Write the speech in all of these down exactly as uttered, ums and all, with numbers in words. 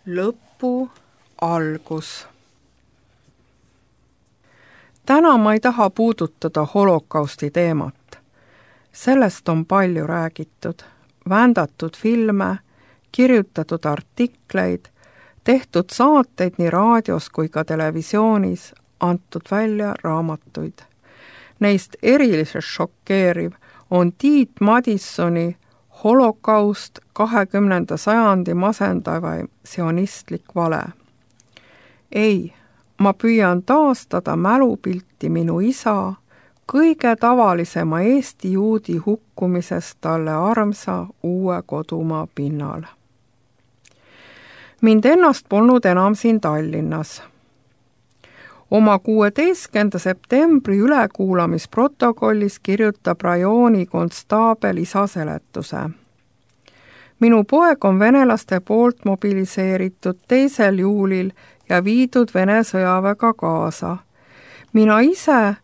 lõpu algus. Täna ma ei taha puudutada holokausti teemat. Sellest on palju räägitud, vändatud filme, kirjutatud artikleid, tehtud saateid nii raadios kui ka televisioonis, antud välja raamatuid. Neist eriliselt šokeeriv on Tiit Madissoni Holokaust kahekümnenda sajandi masendavaim sionistlik vale. Ei, ma püüan taastada mälupilti minu isa kõige tavalisema Eesti juudi hukkumisest talle armsa uue kodumaa pinnal. Mind ennast polnud enam siin Tallinnas. Oma kuueteistkümnenda septembri ülekuulamisprotokollis kirjutab rajooni konstaabel isa seletuse. Minu poeg on venelaste poolt mobiliseeritud teisel juulil ja viidud Vene sõjaväega kaasa. Mina ise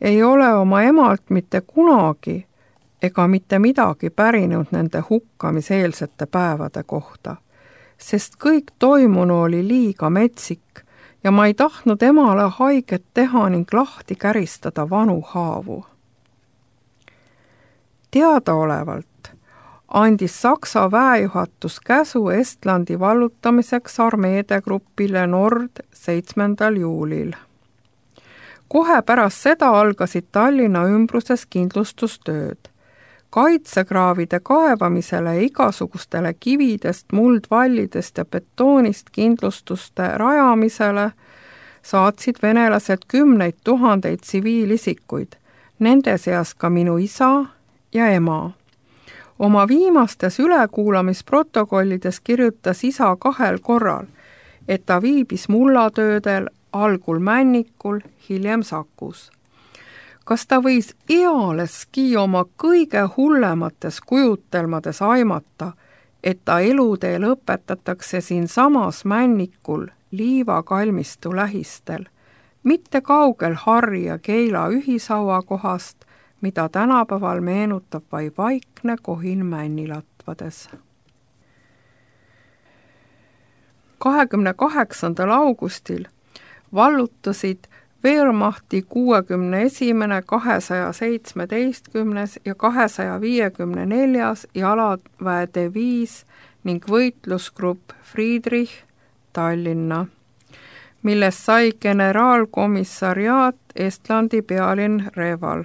ei ole oma emalt mitte kunagi ega mitte midagi pärinud nende hukkamiseelsete päevade kohta, sest kõik toimunu oli liiga metsik ja ma ei tahtnud emale haiget teha ning lahti käristada vanu haavu. Teadaolevalt andis Saksa väejuhatus käsu Estlandi vallutamiseks armeede grupile Nord seitsmendal juulil. Kohe pärast seda algasid Tallinna ümbruses kindlustustööd. Kaitsekraavide kaevamisele ja igasugustele kividest, muldvallidest ja betoonist kindlustuste rajamisele saatsid venelased kümneid tuhandeid tsiviilisikuid, nende seas ka minu isa ja ema. Oma viimastes ülekuulamisprotokollides kirjutas isa kahel korral, et ta viibis mullatöödel algul Männikul, hiljem Sakus. Kas ta võis ealeski oma kõige hullemates kujutelmades aimata, et ta elutee lõpetatakse siin samas Männikul liivakalmistu lähistel, mitte kaugel Harri ja Keila ühishaua kohast, mida tänapäeval meenutab vaid vaikne kohin männilatvades. kahekümne kaheksandal augustil vallutasid Wehrmachti kuuekümne esimene, kahesaja seitsmeteistkümnes ja kahesaja viiekümne neljas jalaväe diviis ning võitlusgrupp Friedrich Tallinna, millest sai generaalkomissariaat Estlandi pealinn Reval.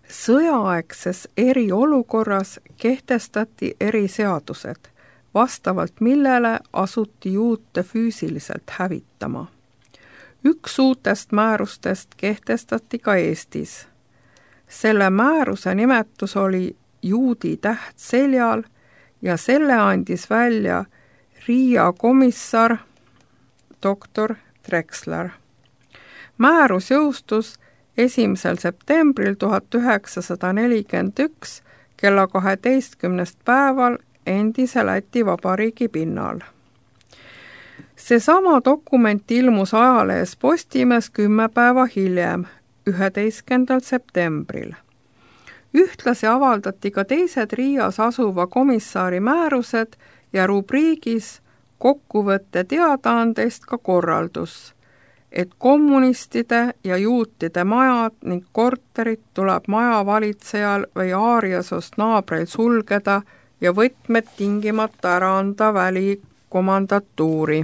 Sõjaaegses eriolukorras kehtestati eriseadused, vastavalt millele asuti juute füüsiliselt hävitama. Üks uutest määrustest kehtestati ka Eestis. Selle määruse nimetus oli juudi täht seljal ja selle andis välja Riia komissar doktor Drexler. Määrus jõustus esimesel septembril tuhat üheksasada nelikümmend üks kella kaheteistkümnest päeval endise Läti Vabariigi pinnal. Seesama dokument ilmus ajalehes Postimees kümme päeva hiljem, üheteistkümnendal septembril. Ühtlasi avaldati ka teised Riias asuva komissari määrused ja rubriigis kokkuvõtte teadaandest ka korraldus, et kommunistide ja juutide majad ning korterid tuleb majavalitsejal või aariasost naabreil sulgeda ja võtmed tingimata ära anda välikomandatuuri.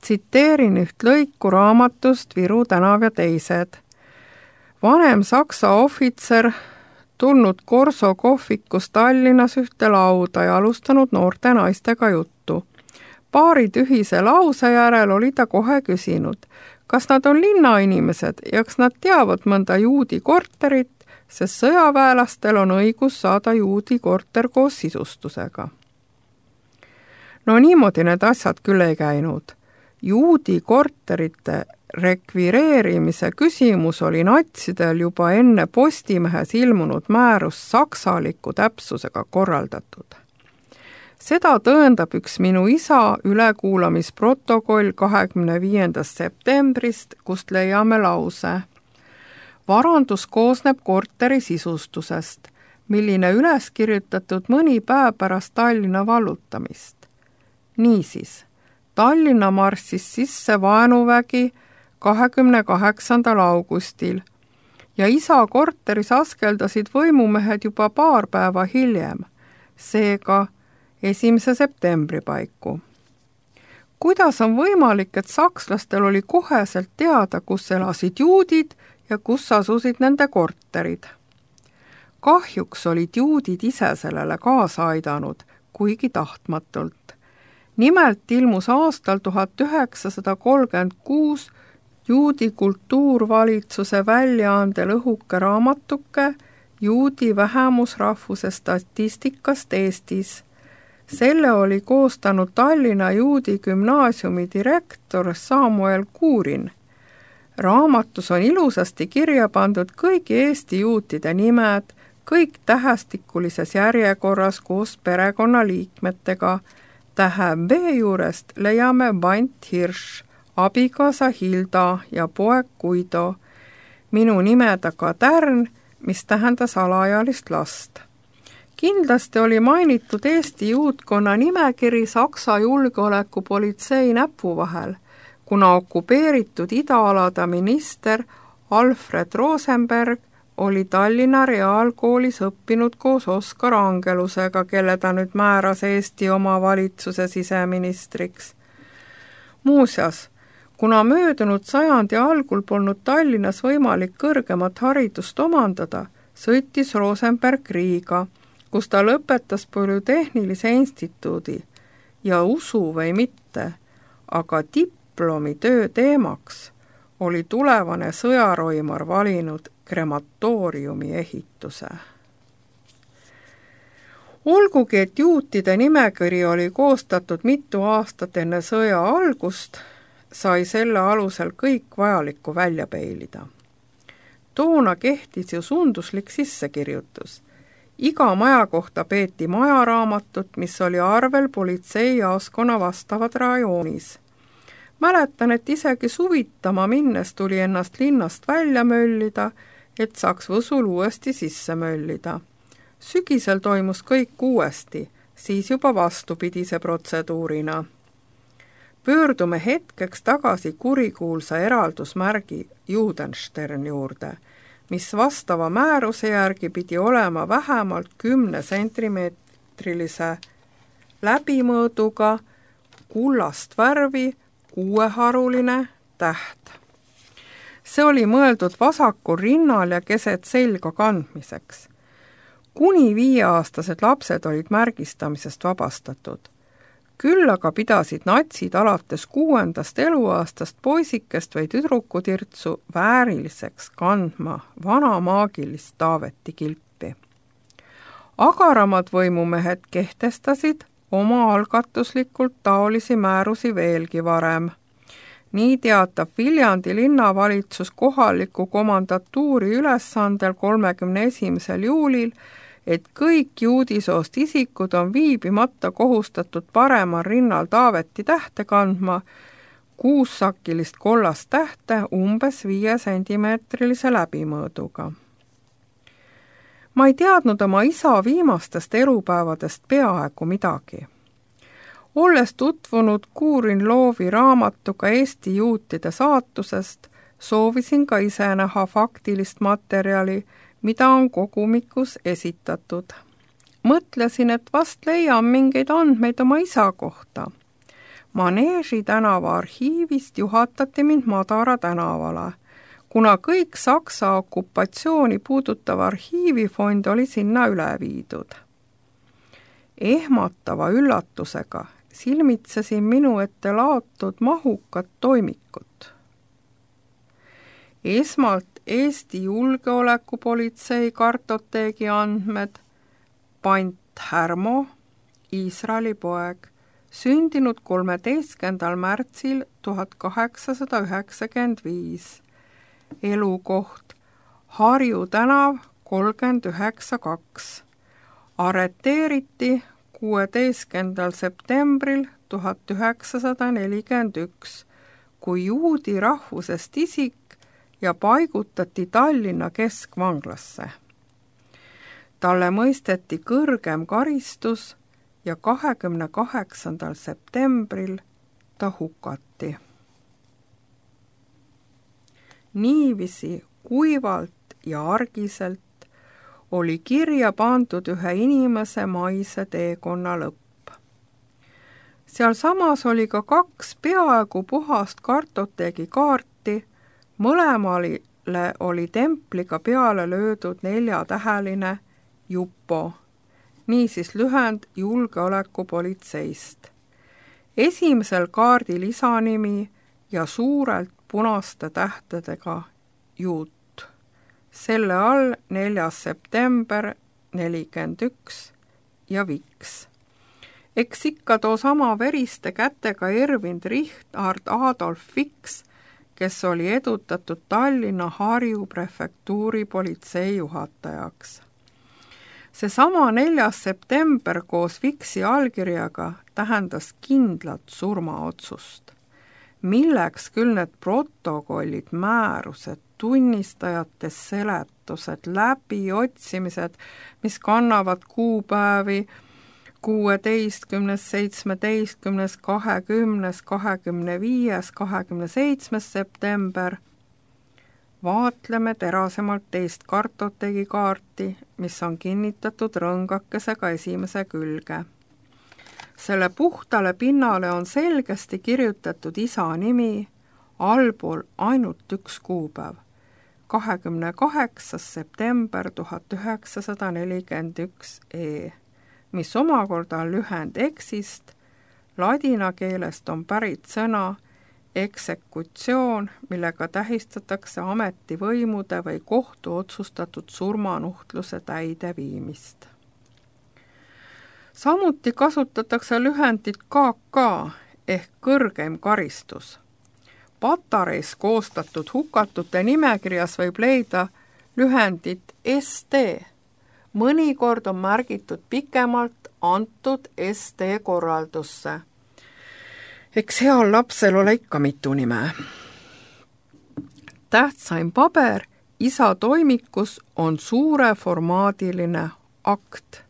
Tsiteerin üht lõiku raamatust Viru tänav ja teised. Vanem saksa ohvitser tulnud Korso kohvikus Tallinnas ühte lauda ja alustanud noorte naistega juttu. Paari tühise lause järel oli ta kohe küsinud, kas nad on linnainimesed ja kas nad teavad mõnda juudi korterit, sest sõjaväelastel on õigus saada juudi korter koos sisustusega. No niimoodi need asjad küll ei käinud. Juudi korterite rekvireerimise küsimus oli natsidel juba enne Postimehes ilmunud määrus saksaliku täpsusega korraldatud. Seda tõendab üks minu isa ülekuulamisprotokoll kahekümne viiendast septembrist, kust leiame lause. Varandus koosneb korteri sisustusest. milline üles kirjutatud mõni päev pärast Tallinna vallutamist. Niisiis, Tallinna marssis sisse vaenuvägi kahekümne kaheksandal augustil ja isa korteris askeldasid võimumehed juba paar päeva hiljem, seega esimese septembri paiku. Kuidas on võimalik, et sakslastel oli koheselt teada, kus elasid juudid ja kus asusid nende korterid? Kahjuks olid juudid ise sellele kaasa aidanud, kuigi tahtmatult. Nimelt ilmus aastal tuhat üheksasada kolmkümmend kuus juudi kultuurvalitsuse väljaandel õhuke raamatuke juudi vähemusrahvuse statistikast Eestis. Selle oli koostanud Tallinna Juudi Gümnaasiumi direktor Samuel Kuurin. Raamatus on ilusasti kirja pandud kõigi Eesti juutide nimed, kõik tähestikulises järjekorras koos perekonnaliikmetega. Tähe B juurest leiame Bant Hirš, abikaasa Hilda ja poeg Guido, minu nime taga Tärn, mis tähendas alaealist last. Kindlasti oli mainitud Eesti juutkonna nimekiri Saksa julgeolekupolitsei näpu vahel, kuna okupeeritud idaalade minister Alfred Rosenberg oli Tallinna Reaalkoolis õppinud koos Oskar Angelusega, kelle ta nüüd määras Eesti omavalitsuse siseministriks. Muuseas, kuna möödunud sajandi algul polnud Tallinnas võimalik kõrgemat haridust omandada, sõitis Rosenberg Riiga, kus ta lõpetas Polütehnilise instituudi ja usu või mitte, aga diplomitöö teemaks oli tulevane sõjaroimar valinud krematooriumi ehituse. Olgugi, et juutide nimekiri oli koostatud mitu aastat enne sõja algust, sai selle alusel kõik vajalikku välja peilida. Toona kehtis ju sunduslik sissekirjutus. Iga maja kohta peeti majaraamatut, mis oli arvel politseijaoskonna vastavad rajoonis. Mäletan, et isegi suvitama minnes tuli ennast linnast välja möllida, et saaks Võsul uuesti sisse möllida. Sügisel toimus kõik uuesti, siis juba vastupidise protseduurina. Pöördume hetkeks tagasi kurikuulsa eraldusmärgi Judenstern juurde, mis vastava määruse järgi pidi olema vähemalt kümne sentimeetrilise läbimõõduga, kullast värvi, kuueharuline täht. See oli mõeldud vasakul rinnal ja keset selga kandmiseks. Kuni viieaastased lapsed olid märgistamisest vabastatud. Küll aga pidasid natsid alates kuuendast eluaastast poisikest või tüdrukutirtsu vääriliseks kandma vana maagilist Taaveti kilpi. Agaramad võimumehed kehtestasid oma algatuslikult taolisi määrusi veelgi varem. Nii teatab Viljandi linnavalitsus kohaliku komandatuuri ülesandel kolmekümne esimesel juulil, et kõik juudisoost isikud on viibimata kohustatud paremal rinnal Taaveti tähte kandma, kuussakilist kollast tähte umbes viie sentimeetrilise läbimõõduga. Ma ei teadnud oma isa viimastest elupäevadest peaaegu midagi. Olles tutvunud Kuurin Loovi raamatuga Eesti juutide saatusest, soovisin ka ise näha faktilist materjali, mida on kogumikus esitatud. Mõtlesin, et vast leian mingeid andmeid oma isa kohta. Maneeži tänava arhiivist juhatati mind Madara tänavale, kuna kõik Saksa okupatsiooni puudutav arhiivifond oli sinna üle viidud. Ehmatava üllatusega silmitsesin minu ette laotud mahukat toimikut. Esmalt Eesti julgeolekupolitsei kartoteegi andmed, Bant Härmo, Iisraeli poeg, sündinud kolmeteistkümnendal märtsil tuhat kaheksasada üheksakümmend viis. Elukoht Harju tänav kolmkümmend üheksa kaks. Arreteeriti kuueteistkümnendal septembril tuhat üheksasada nelikümmend üks, kui juudi rahvusest isik ja paigutati Tallinna keskvanglasse. talle mõisteti kõrgem karistus ja kahekümne kaheksandal septembril ta hukati. Niiviisi kuivalt ja argiselt oli kirja pandud ühe inimese maise teekonna lõpp. Seal samas oli ka kaks peaaegu puhast kartoteegi kaarti, mõlemale oli templiga peale löödud neljatäheline Jupo, niisiis lühend julgeolekupolitseist. Esimesel kaardil isanimi ja suurelt punaste tähtedega Juut. Selle all neljas september nelikümmend üks ja Viks. Eks ikka too sama veriste kätega Ervin Richard Adolf Viks, kes oli edutatud Tallinna Harju prefektuuri politseijuhatajaks. Seesama neljas september koos Viksi allkirjaga tähendas kindlat surmaotsust. Milleks küll need protokollid, määrused, tunnistajate seletused, läbiotsimised, mis kannavad kuupäevi kuueteistkümnes, seitsmeteistkümnes, kahekümnes, kahekümne viies, kahekümne seitsmes september. Vaatleme terasemalt teist kartoteegi kaarti, mis on kinnitatud rõngakesega esimese külge. Selle puhtale pinnale on selgesti kirjutatud isa nimi, allpool ainult üks kuupäev, kahekümne kaheksas september tuhat üheksasada nelikümmend üks E, mis omakorda on lühend eksist, ladina keelest on pärit sõna eksekutsioon, millega tähistatakse ametivõimude või kohtu otsustatud surmanuhtluse täideviimist. Samuti kasutatakse lühendit K K ehk kõrgeim karistus. Patareis koostatud hukatute nimekirjas võib leida lühendit S T. Mõnikord on märgitud pikemalt antud S T korraldusse. Eks heal lapsel ole ikka mitu nime. Tähtsaim paber isa toimikus on suureformaadiline akt.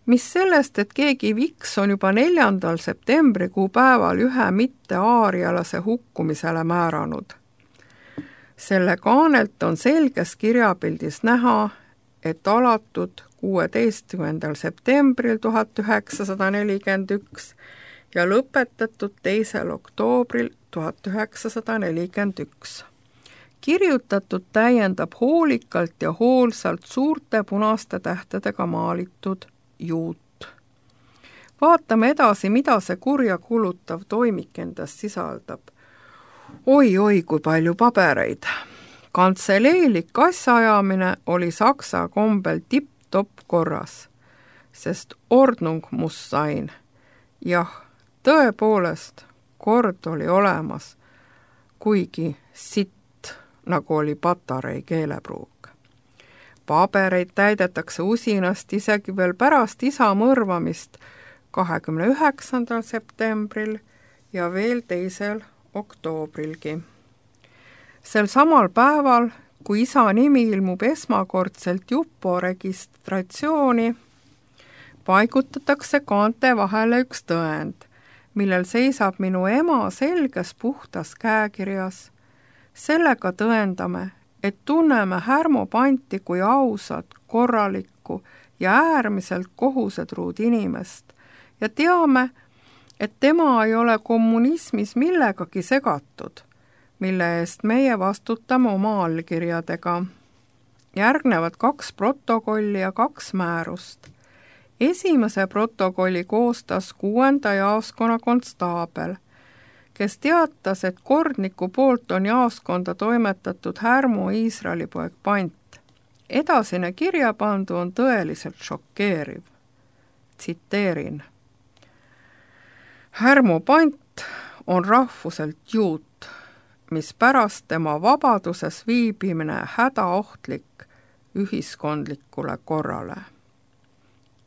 Mis sellest, et keegi Viks on juba neljandal septembrikuu päeval ühe mitte aarialase hukkumisele määranud. Selle kaanelt on selges kirjapildis näha, et alatud kuueteistkümnendal septembril tuhat üheksasada nelikümmend üks ja lõpetatud teisel oktoobril tuhat üheksasada nelikümmend üks. Kirjutatud täiendab hoolikalt ja hoolsalt suurte punaste tähtedega maalitud Juut. Vaatame edasi, mida see kurja kulutav toimik endast sisaldab. Oi-oi, kui palju pabereid. Kantseleelik asjaajamine oli saksa kombel tipp-topp korras, sest Ordnung muss sein. Jah, tõepoolest, kord oli olemas, kuigi sitt, nagu oli patarei keelepruuk. Pabereid täidetakse usinast isegi veel pärast isa mõrvamist kahekümne üheksandal septembril ja veel teisel oktoobrilgi. Sel samal päeval, kui isa nimi ilmub esmakordselt Jupo registratsiooni, paigutatakse kaante vahele üks tõend, millel seisab minu ema selges puhtas käekirjas. Sellega tõendame, et tunneme Härmo Panti kui ausat, korralikku ja äärmiselt kohusetruud inimest ja teame, et tema ei ole kommunismis millegagi segatud, mille eest meie vastutame oma allkirjadega. Järgnevad kaks protokolli ja kaks määrust. Esimese protokolli koostas kuuenda jaoskonna konstaabel, kes teatas, et kordniku poolt on jaoskonda toimetatud Härmo Iisraeli poeg Pant. Edasine kirjapandu on tõeliselt šokeeriv. Tsiteerin. Härmo Pant on rahvuselt juut, mis pärast tema vabaduses viibimine hädaohtlik ühiskondlikule korrale.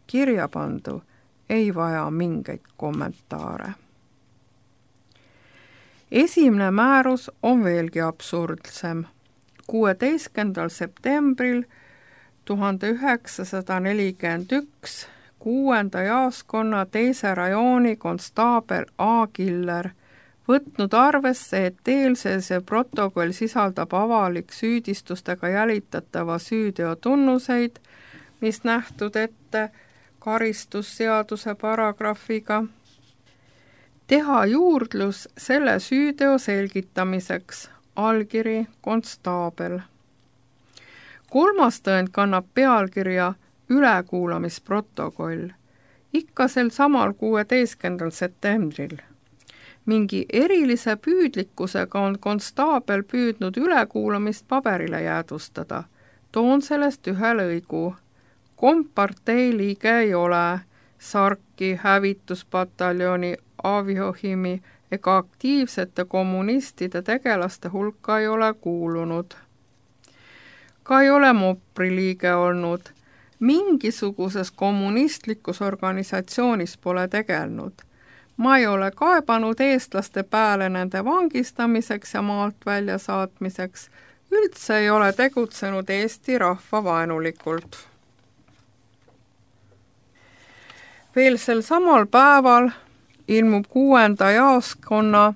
Kirjapandu ei vaja mingeid kommentaare. Esimene määrus on veelgi absurdsem. kuueteistkümnendal septembril tuhande üheksasada nelikümmend üks kuuenda jaoskonna teise rajooni konstaabel A. Killer, võtnud arvesse, et eelsese protokoll sisaldab avalik süüdistustega jälitatava süüteo tunnuseid, mis nähtud ette karistusseaduse paragrahviga, teha juurdlus selle süüteo selgitamiseks, allkiri konstaabel. Kolmas tõend kannab pealkirja ülekuulamisprotokoll, ikka sel samal kuueteistkümnendal septembril. Mingi erilise püüdlikkusega on konstaabel püüdnud ülekuulamist paberile jäädvustada. Toon sellest ühe lõigu. Kompartei liige ei ole, Sarki hävituspataljoni Aviohimi ega aktiivsete kommunistide tegelaste hulka ei ole kuulunud. Ka ei ole Mopri liige olnud. Mingisuguses kommunistlikus organisatsioonis pole tegelnud. Ma ei ole kaebanud eestlaste pääle nende vangistamiseks ja maalt välja saatmiseks. Üldse ei ole tegutsenud Eesti rahva vaenulikult. Veel sel samal päeval ilmub kuuenda jaoskonna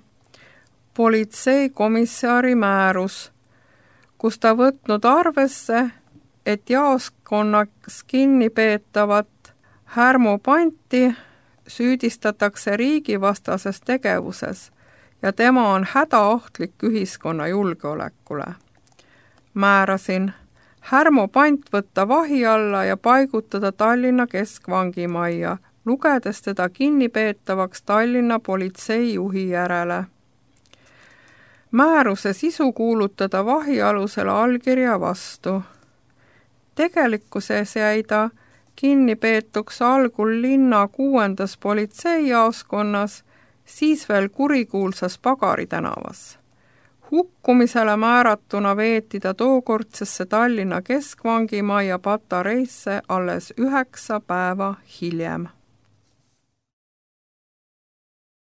politseikomissari määrus, kus ta võtnud arvesse, et jaoskonnas kinni peetavat Härmo Panti süüdistatakse riigivastases tegevuses ja tema on hädaohtlik ühiskonna julgeolekule. Määrasin Härmo Pant võtta vahi alla ja paigutada Tallinna keskvangimajja, lugedes teda kinnipeetavaks Tallinna politseijuhi järele. Määruse sisu kuulutada vahi alusele allkirja vastu. Tegelikkuses jäi ta kinnipeetuks algul linna kuuendas politseijaoskonnas, siis veel kurikuulsas Pagari tänavas. Hukkumisele määratuna veeti ta tookordsesse Tallinna keskvangimajja patareisse alles üheksa päeva hiljem.